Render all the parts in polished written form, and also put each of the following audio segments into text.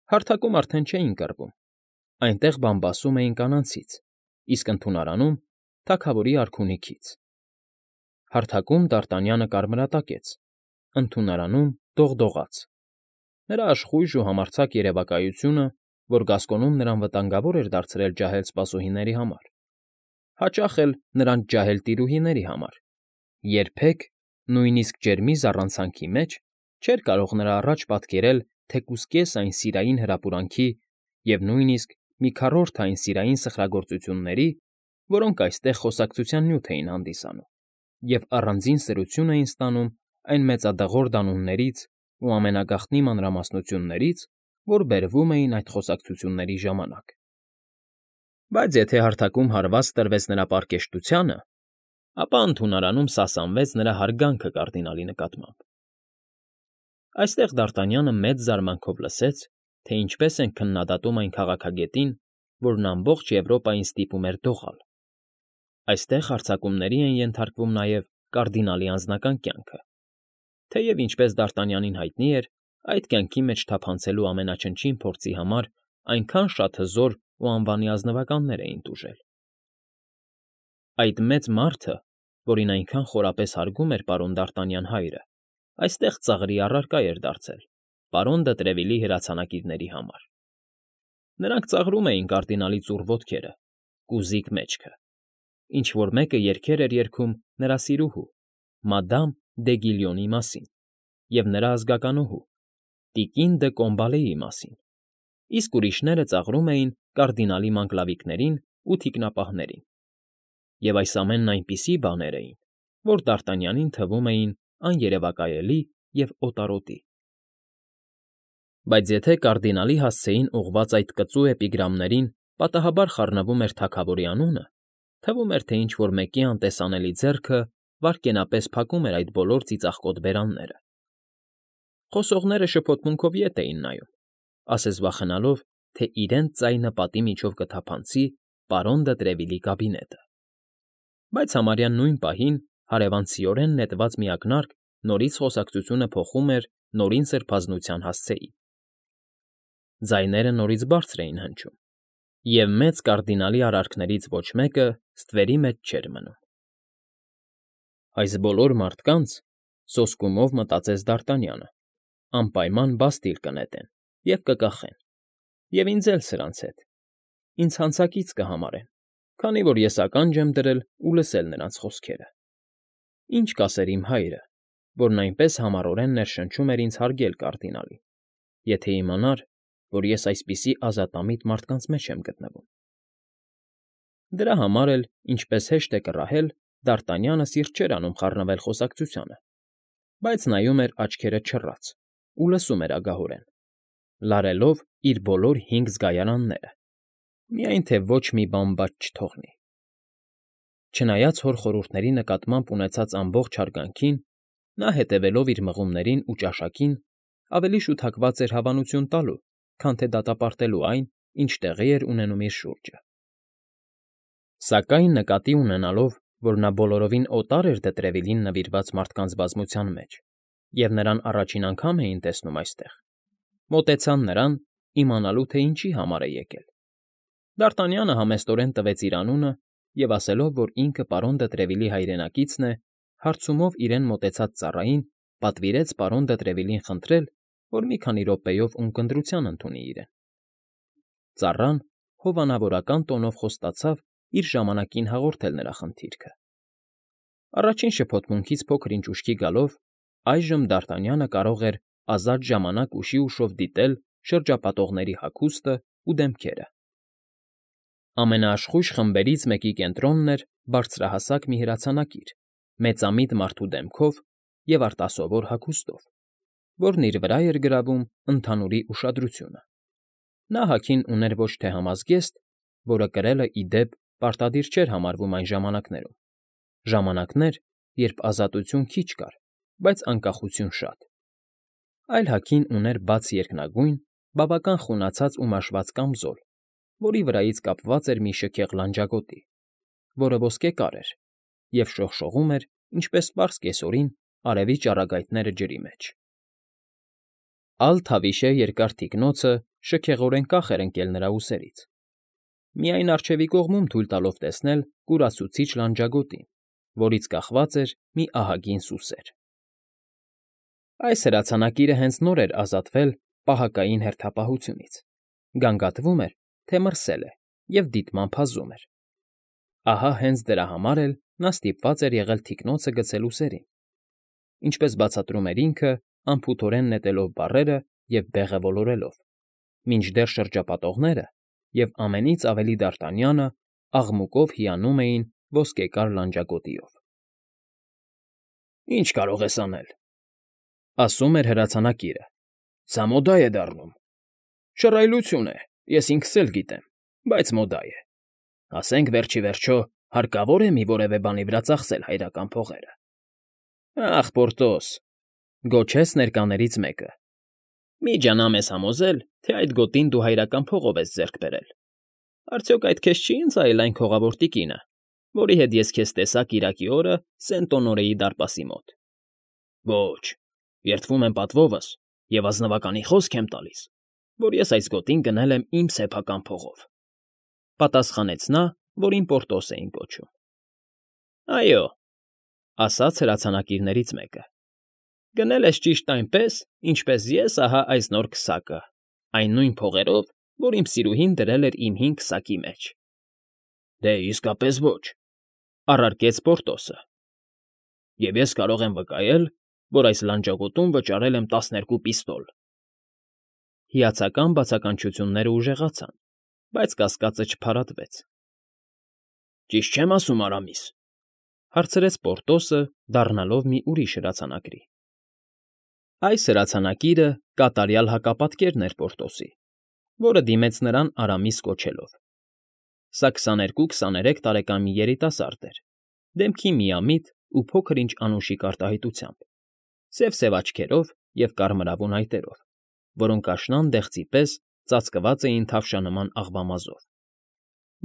Հարթակում արդեն չէին կռվում, այնտեղ բամբասում էին կանացից, իսկ ընդունարանում՝ թագավորի արքունիքից. հարթակում Դարտանյանը կարմրատակեց, ընդունարանում՝ դողդողաց. նրա աշխույժ ու համարձակ երևակայությունը, որ Գասկոնում նրան վտանգավոր էր դարձրել ջահել սպասուհիների համար, հաճախ էլ նրանց ջահել տիրուհիների համար, երբեք, նույնիսկ ջերմի զառանցանքի մեջ, չէր կարող նրա առաջ պատկերել թեկուզ կես այն սիրային հրապուրանքի և նույնիսկ մի քառորդ այն սիրային սխրագործությունների, որոնք այստեղ խոսակցության նյութ էին հանդիսանում և առանձին սրություն էին ստանում այն մեծադղոր դանուններից ու ամենագաղտնի մանրամասնություններից, որ բերվում էին այդ խոսակցությունների ժամանակ։ Բայց եթե հարթակում հարված տրվեց նրա պարկեշտությանը, ապա ընդունարանում սասանվեց նրա հարգանքը կարդինալի նկատմամբ։ Այստեղ Դարտանյանը մեծ զարմանքով լսեց, թե ինչպես են քննադատում այն քաղաքագետին, որն ամբողջ Եվրոպային ստիպում էր դողալ։ Այստեղ հարձակումների են ենթարկվում նաև կարդինալի անձնական կյանքը, թեև, ինչպես Դարտանյանին հայտնի էր, այդ կյանքի մեջ թափանցելու ամենաչնչին փորձի համար այնքան շատ հզոր ու անվանի ազնվականներ էին տուժել։ Այդ մեծ մարդը, որին այնքան խորապես հարգում էր պարոն Դարտանյան հայրը, այստեղ ծաղրի առարկա էր դարձել պարոն դը Տրևիլի հրացանակիրների համար։ Նրանք ծաղրում էին կարդինալի ծուռ ոտքերը, կուզիկ մեջքը, ինչ֊որ մեկը երգեր էր երգում նրա սիրուհու, մադամ դե Գիլյոնի մասին և նրա ազգականուհու, տիկին դը Կոմբալեի մասին, իսկ ուրիշները ծաղրում էին կարդինալի մանկլավիկներին ու թիկնապահներին։ Եվ այս ամենն այնպիսի բաներ էին, որ Դարտանյանին թվում էին աներևակայելի և օտարոտի։ Բայց եթե կարդինալի հասցեին ուղղված այդ կծու էպիգրամներին պատահաբար խառնվում էր թագավորի անունը, թվում էր, թե ինչ֊որ մեկի անտեսանելի ձեռքը վայրկենապես փակում էր այդ բոլոր ծիծաղկոտ բերանները։ Խոսողները շփոթմունքով ետ էին նայում, ասես վախենալով, թե իրենց ձայնը պատի միջով կթափանցի պարոն դը Տրևիլի կաբինետը։ Բայց համարյա նույն պահին հարևանցիորեն նետված մի ակնարկ նորից խոսակցությունը փոխում էր նորին սրբազնության հասցեին։ Ձայները նորից բարձր էին հնչում, և մեծ կարդինալի արարքներից ոչ մեկը ստվերի մեջ չէր մնում։ Այս բոլոր մարդկանց, սոսկումով մտածեց Դարտանյանը, անպայման բաստիլ կնետեն և կկախեն, և ինձ էլ սրանց հետ, ինձ հանցակից կհամարեն, քանի որ ես ականջ եմ դրել ու լսել նրանց խոսքերը։ Ինչ կասեր իմ հայրը, որն այնպես համառորեն ներշնչում էր ինձ հարգել կարդինալին, եթե իմանար, որ ես այսպիսի ազատամիտ մարդկանց մեջ եմ գտնվում։ Դրա համար էլ, ինչպես հեշտ է կռահել, Դարտանյանը սիրտ չէր անում խառնվել խոսակցությանը, բայց նայում էր աչքերը չռած ու լսում էր ագահորեն, լարելով իր բոլոր 5 զգայարանները, միայն թե ոչ մի բան բաց չթողնի։ Չնայած հոր խորհուրդների նկատմամբ ունեցած ամբողջ հարգանքին, նա, հետևելով իր մղումներին ու ճաշակին, ավելի շուտ հակված էր հավանություն տալու, քան թե դատապարտելու այն, ինչ տեղի էր ունենում իր շուրջը։ Սակայն նկատի ունենալով, որ նա բոլորովին օտար էր դե Տրևիլին նվիրված մարդկանց բազմության մեջ, և նրան առաջին անգամ էին տեսնում այստեղ, մոտեցան նրան, իմանալու, թե ինչի համար է եկել։ Դարտանյանը համեստորեն տվեց իր անունը և, ասելով, որ ինքը պարոն դը Տրևիլի հայրենակիցն է, հարցումով իրեն մոտեցած ծառային պատվիրեց պարոն դը Տրևիլին խնդրել, որ մի քանի րոպեով ունկնդրության ընդունի իրեն։ Ծառան հովանավորական տոնով խոստացավ իր ժամանակին հաղորդել նրա խնդիրքը։ Առաջին շփոթմունքից փոքր֊ինչ ուշքի գալով, այժմ Դարտանյանը կարող էր ազատ ժամանակ ուշի֊ուշով դիտել շրջապատողների հագուստն ու դեմքերը։ Ամենաաշխույժ խմբերից մեկի կենտրոնն էր բարձրահասակ մի հրացանակիր, մեծամիտ մարդու դեմքով և արտասովոր հագուստով, որն իր վրա էր գրավում ընդհանուրի ուշադրությունը։ Նա հագին ուներ ոչ թե համազգեստ, որը կրելը, ի դեպ, պարտադիր չէր համարվում այն ժամանակներում, ժամանակներ, երբ ազատություն քիչ կար, բայց անկախություն շատ, այլ հագին ուներ բաց երկնագույն, բավական խունացած ու մաշված կամզոլ, որի վրայից կապված էր մի շքեղ լանջագոտի, որը ոսկեկար էր և շողշողում էր, ինչպես պարզ կեսօրին արևի ճառագայթները ջրի մեջ։ Ալ-Թավիշե երկար թիկնոցը շքեղորեն կախ էր ընկել նրա ուսերից, միայն առջևի կողմում թույլ տալով տեսնել կուրացուցիչ լանջագոտին, որից կախված էր մի ահագին սուսեր։ Այս հրացանակիրը հենց նոր էր ազատվել պահակային հերթապահությունից, գանգատվում էր, թե մրսել է և դիտմամբ հազում էր։ Ահա հենց դրա համար էլ նա ստիպված էր եղել թիկնոցը գցել ուսերին, ինչպես բացատրում էր ինքը, անփութորեն նետելով բառերը և բեղը ոլորելով, մինչդեռ շրջապատողները և ամենից ավելի Դարտանյանը աղմուկով հիանում էին ոսկեկար լանջագոտիով։ ֊ Ի՞նչ կարող ես անել,֊ ասում էր հրացանակիրը,֊ սա մոդա է դառնում։ Շռայլություն է, ես ինքս էլ գիտեմ, բայց մոդա է։ Ասենք վերջ ի վերջո հարկավոր է մի որևէ բանի վրա ծախսել հայրական փողերը։ ֊ Ախ, Պորտոս,֊ գոչեց ներկաներից մեկը,֊ մի ջանա մեզ համոզել, թե այդ գոտին դու հայրական փողով ես ձեռք բերել։ Արդյոք այդ քեզ չի ընծայել այն քողավոր տիկինը, որի հետ ես քեզ տեսա կիրակի օրը Սենտ֊Օնորեի դարպասի մոտ։ Ոչ, երդվում եմ պատվովս և ազնվականի խոսք եմ տալիս, որ ես այս գոտին գնել եմ իմ սեփական փողով,֊ պատասխանեց նա, որին Պորտոս էին կոչում։ ֊ Այո,֊ ասաց հրացանակիրներից մեկը,֊ գնել ես ճիշտ այնպես, ինչպես ես ահա այս նոր քսակը, այն նույն փողերով, որ իմ սիրուհին դրել էր իմ հին քսակի մեջ։ ֊ Դե, իսկապես ոչ,֊ առարկեց Պորտոսը,֊ և ես կարող եմ վկայել, որ այս լանջագոտում վճարել եմ 12 պիստոլ։ Հիացական բացականչությունները ուժեղացան, բայց կասկածը չփարատվեց։ ֊ Ճիշտ չեմ ասում, Արամիս,֊ հարցրեց Պորտոսը, դառնալով մի ուրիշ հրացանակրի։ Այս հրացանակիրը կատարյալ հակապատկերն էր Պորտոսի, որը դիմեց նրան Արամիս կոչելով։ Սա 22-23 տարեկան մի երիտասարդ էր, դեմքի միամիտ ու փոքր֊ինչ անուշիկ արտահայտությամբ, սև աչքերով և կարմրավուն այտերով, որոնք աշնան դեղցի պես ծածկված էին թավշանման աղվամազով։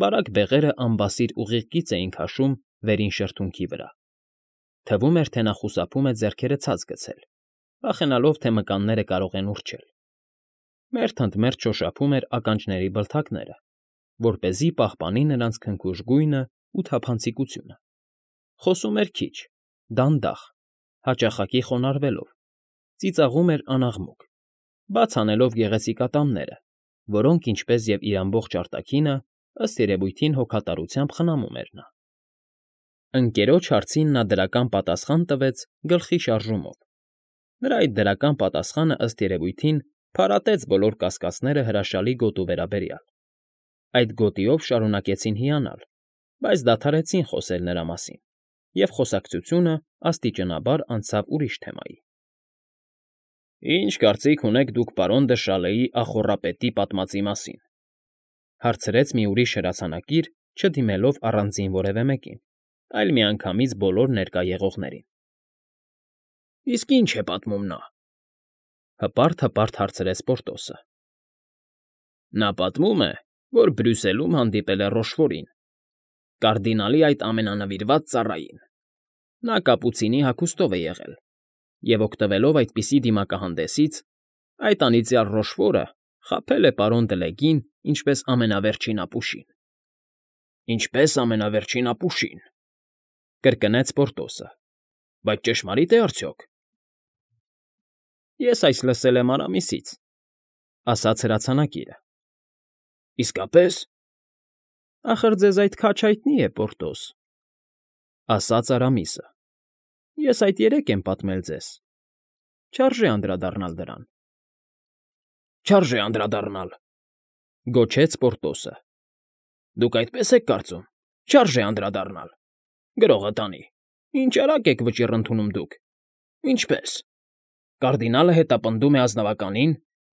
Բարակ բեղերը անբասիր ուղիղ կից էին քաշում վերին շրթունքի վրա։ Թվում էր, թե նա խուսափում է ձեռքերը ցած գցել, վախենալով, թե մկանները կարող են ուռչել։ Մերթ ընդ մերթ շոշափում էր ականջների բլթակները, որպեսզի պահպանի նրանց քնքուշ գույնն ու թափանցիկությունը։ Խոսում էր քիչ, դանդաղ, հաճախակի խոնարհվելով, ծիծաղում էր անաղմուկ, բաց անելով գեղեցիկ ատամները, որոնք, ինչպես և իր ամբողջ արտաքինը, ըստ երևույթին հոգատարությամբ խնամում էր նա։ Ընկերոջ հարցին նա դրական պատասխան տվեց գլխի շարժումով։ Նրա այդ դրական պատասխանը, ըստ երևույթին, փարատեց բոլոր կասկածները հրաշալի գոտու վերաբերյալ։ Այդ գոտիով շարունակեցին հիանալ, բայց դադարեցին խոսել նրա մասին, և խոսակցությունը աստիճանաբար անցավ ուրիշ թեմայի։ ֊ Ի՞նչ կարծիք ունեք դուք պարոն դը Շալեի ախոռապետի պատմածի մասին,֊ հարցրեց մի ուրիշ հրացանակիր, չդիմելով առանձին որևէ մեկին, այլ միանգամից բոլոր ներկա եղողներին։ ֊ Իսկ ի՞նչ է պատմում նա,֊ հպարտ հարցրեց Պորտոսը։ ֊ Նա պատմում է, որ Բրյուսելում հանդիպել է Ռոշֆորին, կարդինալի այդ ամենանվիրված ծառային։ Նա կապուցինի հագուստով է եղել, և, օգտվելով այդպիսի դիմակահանդեսից, այդ անիծյալ Ռոշֆորը խաբել է պարոն Դլեգին ինչպես ամենավերջին ապուշին։ ֊ Ինչպես ամենավերջին ապուշին,֊ կրկնեց Պորտոսը,֊ բայց ճշմարիտ է արդյոք։ ֊ Ես այս լսել եմ Արամիսից,֊ ասաց հրացանակիրը։ ֊ Իսկապե՞ս։ ֊ Ախր ձեզ այդ քաջ հայտնի է, Պորտոս,֊ ասաց Արամիսը։ ֊ Ես այդ երեկ եմ պատմել ձեզ, չարժե անդրադառնալ դրան։ ֊ Չարժե անդրադառնալ,֊ գոչեց Պորտոսը։ ֊ Դուք այդպես եք կարծում, չարժե անդրադառնալ։ Գրողը տանի, ինչ արագ եք վճիռ ընդունում դուք։ Ինչպե՞ս։ Կարդինալը հետապնդում է ազնվականին,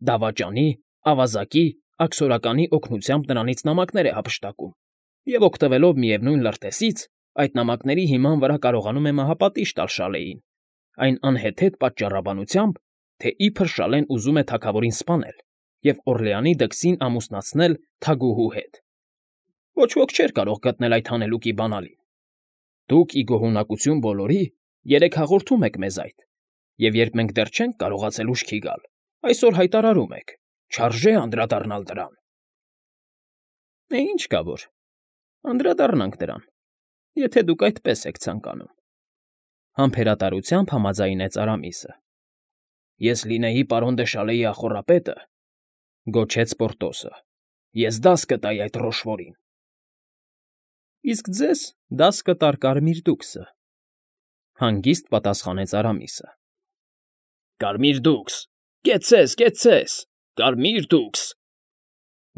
դավաճանի, ավազակի, աքսորականի օգնությամբ նրանից նամակներ է հափշտակում և, օգտվելով միևնույն լրտեսից, այդ նամակների հիման վրա կարողանում է մահապատիժ տալ Շալեին, այն անհեթեթ պատճառաբանությամբ, թե իբր Շալեն ուզում է թագավորին սպանել և Օռլեանի դքսին ամուսնացնել թագուհու հետ։ Ոչ ոք չէր կարող գտնել այդ հանելուկի բանալին։ Դուք, ի գոհունակություն բոլորի, երեկ հաղորդում եք մեզ այդ, և երբ մենք դեռ չենք կարողացել ուշքի գալ, այսօր հայտարարում եք. չարժե անդրադառնալ դրան։ Ինչ կա որ, անդրադառնանք դրան, եթե դուք այդպես եք ցանկանում։ Համբերատարությամբ համաձայնեց Արամիսը։ Ես լինեի պարոն դե Շալեի ախոռապետը, գոչեց Պորտոսը, ես դաս կտայի այդ Ռոշվորին։ Իսկ ձեզ դաս կտար Կարմիր դուքսը, հանգիստ պատասխանեց Արամիսը։ Կարմիր դուքս, կեցցես, Կարմիր դուքս,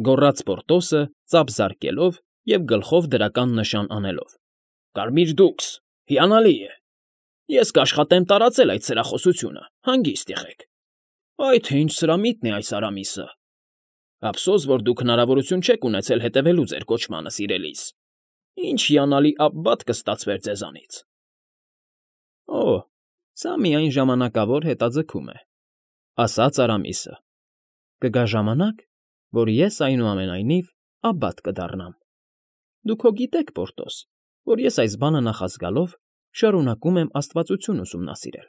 գոռաց Պորտոսը, ծափ զարկելով և գլխով դրական նշան անելով։ Կարմիր դուքս, հիանալի է։ Ես կաշխատեմ տարածել այդ սրախոսությունը, հանգիստ եղեք։ Այ թե ինչ սրամիտ է այս Արամիսը։ Ափսոս, որ դուք հնարավորություն չեք ունեցել հետևելու ձեր կոչմանը, սիրելիս։ Ինչ հիանալի աբբատ կստացվեր ձեզանից։ Օ, սա միայն ժամանակավոր հետաձգում է, ասաց Արամիսը։ Կգա ժամանակ, որ ես այնուամենայնիվ աբբատ կդառնամ։ Դուք հո գիտեք, Պորտոս, որ ես այս բանը նախազգալով շարունակում եմ աստվածություն ուսումնասիրել։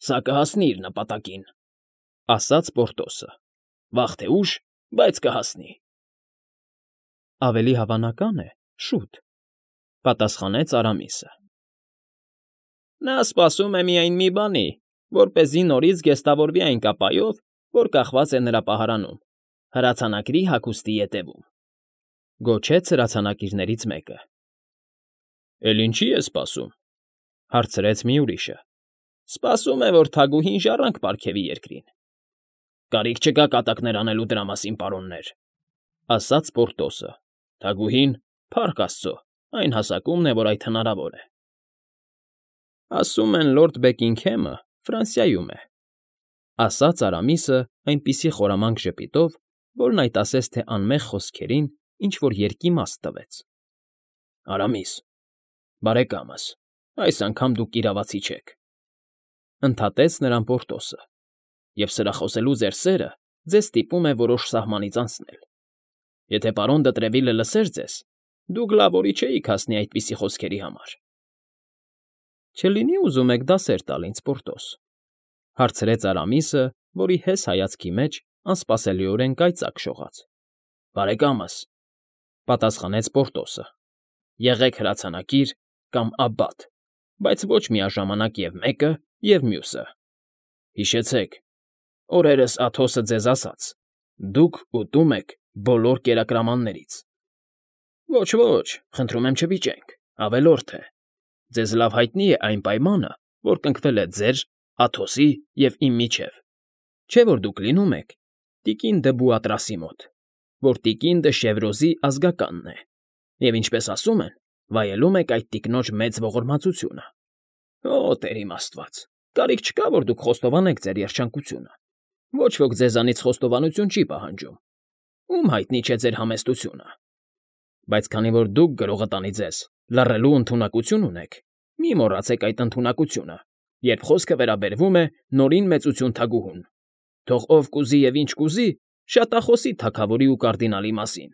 Սա կհասնի իր նպատակին, ասաց Պորտոսը։ Վաղ թե ուշ, բայց կհասնի։ Ավելի հավանական է, շուտ, պատասխանեց Արամիսը։ Նա սպասում է միայն մի բանի, որպեսզի նորից գեստավորվի այն կապայով, որ կախված է նրա պահարանում, հրացանակրի հագուստի ետևում, գոչեց հրացանակիրներից մեկը։ Էլ ինչի է սպասում, հարցրեց մի ուրիշը։ Սպասում է, որ թագուհին ժառանգ պարգևի երկրին։ Կարիք չկա կատակներ անելու դրա մասին, պարոններ, ասաց Պորտոսը։ Թագուհին, փառք Աստծո, այն հասակումն է, որ այդ հնարավոր է։ Ասում են լորդ Բեկինգհեմը Ֆրանսիայում է, ասաց Արամիսը այնպիսի խորամանկ ժպիտով, որն այդ ասես թե անմեղ խոսքերին ինչ-որ երկիմաստ տվեց։ Արամիս, բարեկամս, այս անգամ դուք իրավացի չեք, ընդհատեց նրան Պորտոսը, և սրախոսելու ձեր սերը ձեզ ստիպում է որոշ սահմանից անցնել։ Եթե պարոն Դտրևիլը լսեր ձեզ, դուք լավ օրի չէիք հասնի այդպիսի խոսքերի համար։ Չլինի ուզում եք դասեր տալ ինձ, Պորտոս, հարցրեց Արամիսը, որի հես հայացքի մեջ անսպասելիորեն կայծակ շողաց։ Բարեկամս, պատասխանեց Պորտոսը, եղեք հրացանակիր կամ աբբատ, բայց ոչ միաժամանակ և մեկը, և մյուսը։ Հիշեցեք, օրերս Աթոսը ձեզ ասաց. դուք ուտում եք բոլոր կերակրամաններից։ Ոչ, խնդրում եմ չվիճենք, ավելորդ է։ Ձեզ լավ հայտնի է այն պայմանը, որ կնքվել է ձեր, Աթոսի և իմ միջև։ Չէ՞ որ դուք լինում եք տիկին դը Բուատրասի մոտ, որ տիկին դը Շևրոզի ազգականն է, և ինչպես ասում են, վայելում եք այդ տիկնոջ մեծ ողորմածությունը։ Օ, Տեր իմ Աստված, կարիք չկա, որ դուք խոստովանեք ձեր երջանկությունը։ Ոչ ոք ձեզանից խոստովանություն չի պահանջում։ Ում հայտնի չէ ձեր համեստությունը։ Բայց քանի որ դուք գրողը տանի ձեզ լռելու ընդունակություն ունեք, մի մոռացեք այդ ընդունակությունը, երբ խոսքը վերաբերվում է նորին մեծություն թագուհուն։ Թող ով կուզի և ինչ կուզի, շատախոսի թագավորի ու կարդինալի մասին։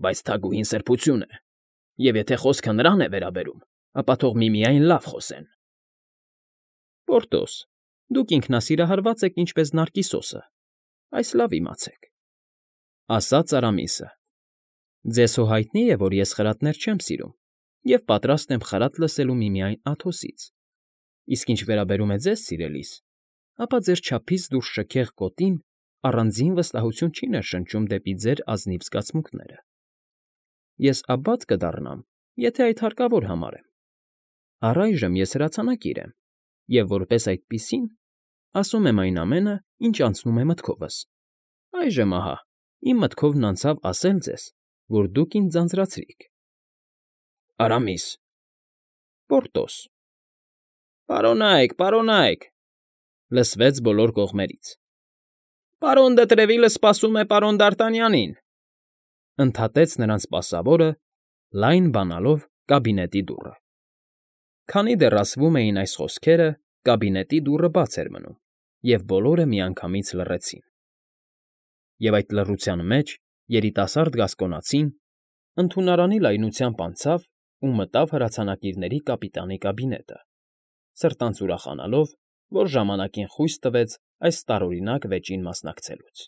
Բայց թագուհին սրբություն է, և եթե խոսքը նրան է վերաբերում, ապա թող միմիայն լավ խոսեն։ Պորտոս, դուք ինքնասիրահարված եք ինչպես Նարկիսոսը, այս լավ իմացեք, ասաց Արամիսը։ Ձեզ հո հայտնի է, որ ես խրատներ չեմ սիրում և պատրաստ եմ խրատ լսելու միմիայն Աթոսից։ Իսկ ինչ վերաբերում է ձեզ, սիրելիս, ապա ձեր չափից դուրս շքեղ կոտին առանձին վստահություն չի ներշնչում դեպի ձեր ազնիվ զգացմունքները։ Ես աբբատ կդառնամ, եթե այդ հարկավոր համարեմ։ Առայժմ ես հրացանակիր եմ, և որպես այդպիսին ասում եմ այն ամենը, ինչ անցնում է մտքովս։ Այժմ ահա, իմ մտքովն անցավ ասել ձեզ, որ դուք ինձ ձանձրացրիք։ Արամիս։ Պորտոս։ Պարոնայք, լսվեց բոլոր կողմերից։ Պարոն Դտրևիլը սպասում է պարոն Դարտանյանին, ընդհատեց նրանց սպասավորը, լայն բանալով կաբինետի դուռը։ Քանի դեռ ասվում էին այս խոսքերը, կաբինետի դուռը բաց էր մնում, և բոլորը միանգամից լռեցին։ Եվ այդ լռության մեջ երիտասարդ գասկոնացին ընդունարանի լայնությամբ անցավ ու մտավ հրացանակիրների կապիտանի կաբինետը, սրտանց ուրախանալով, որ ժամանակին խույս տվեց այս տարօրինակ վեճին մասնակցելուց։